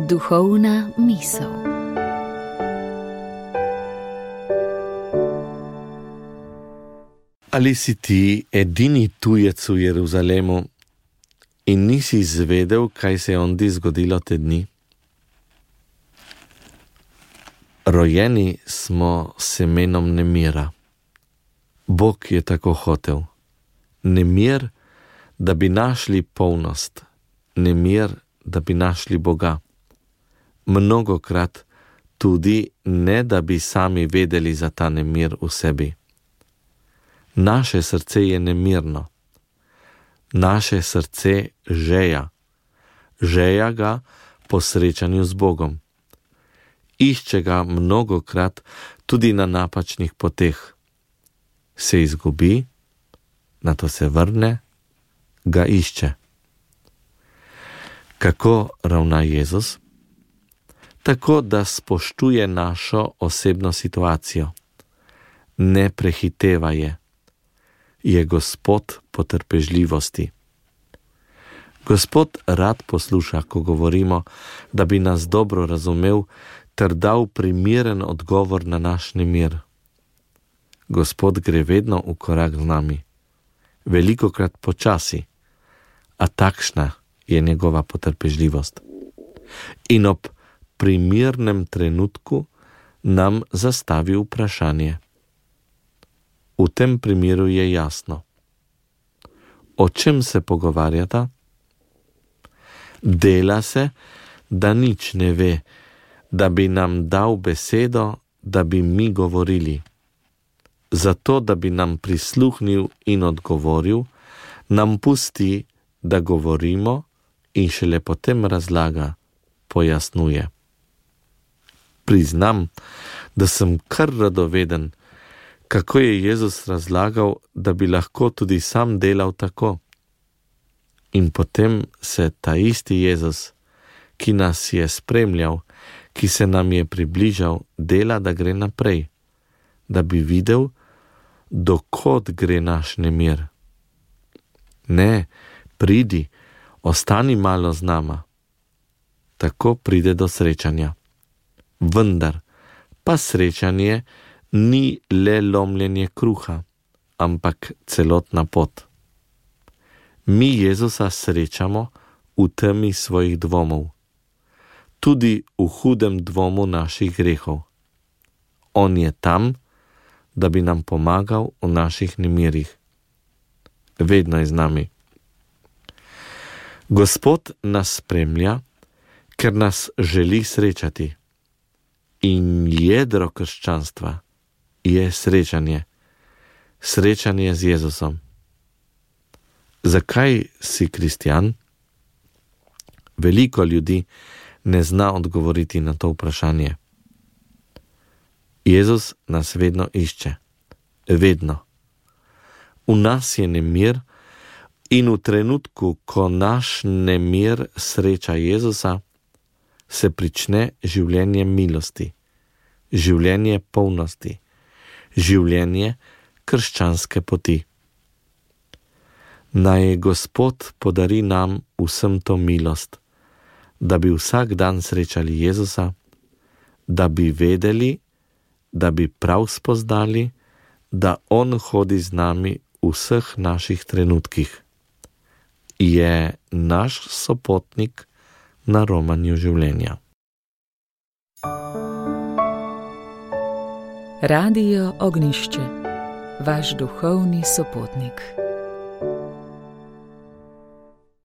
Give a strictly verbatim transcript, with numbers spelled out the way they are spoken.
Duhovna misel. Ali si ti edini tujec v Jeruzalemu in nisi izvedel, kaj se je ondi zgodilo te dni? Rojeni smo semenom nemira. Bog je tako hotel. Nemir, da bi našli polnost. Nemir, da bi našli Boga. Mnogokrat tudi ne, da bi sami vedeli za ta nemir v sebi. Naše srce je nemirno. Naše srce žeja. Žeja ga po srečanju z Bogom. Išče ga mnogokrat tudi na napačnih poteh. Se izgubi, nato se vrne, ga išče. Kako ravna Jezus? Tako, da spoštuje našo osebno situacijo. Ne prehiteva je. Je Gospod potrpežljivosti. Gospod rad posluša, ko govorimo, da bi nas dobro razumel ter dal primeren odgovor na naš nemir. Gospod gre vedno v korak z nami, velikokrat počasi, a takšna je njegova potrpežljivost. In ob primernem trenutku nam zastavi vprašanje. V tem primeru je jasno. O čem se pogovarjata? Dela se, da nič ne ve, da bi nam dal besedo, da bi mi govorili. Zato, da bi nam prisluhnil in odgovoril, nam pusti, da govorimo in šele potem razlaga, pojasnjuje. Priznam, da sem kar radoveden, kako je Jezus razlagal, da bi lahko tudi sam delal tako. In potem se ta isti Jezus, ki nas je spremljal, ki se nam je približal, dela, da gre naprej, da bi videl, dokod gre naš nemir. Ne, pridi, ostani malo z nama. Tako pride do srečanja. Vendar pa srečanje ni le lomljenje kruha, ampak celotna pot. Mi Jezusa srečamo v temi svojih dvomov, tudi v hudem dvomu naših grehov. On je tam, da bi nam pomagal v naših nemirih. Vedno je z nami. Gospod nas spremlja, ker nas želi srečati. In jedro krščanstva je srečanje. Srečanje z Jezusom. Zakaj si kristjan? Veliko ljudi ne zna odgovoriti na to vprašanje. Jezus nas vedno išče. Vedno. V nas je nemir in v trenutku, ko naš nemir sreča Jezusa, se prične življenje milosti, življenje polnosti, življenje krščanske poti. Naj Gospod podari nam vsem to milost, da bi vsak dan srečali Jezusa, da bi vedeli, da bi prav spoznali, da On hodi z nami v vseh naših trenutkih. Je naš sopotnik na romanju življenja. Radio Ognjišče, vaš duhovni sopotnik.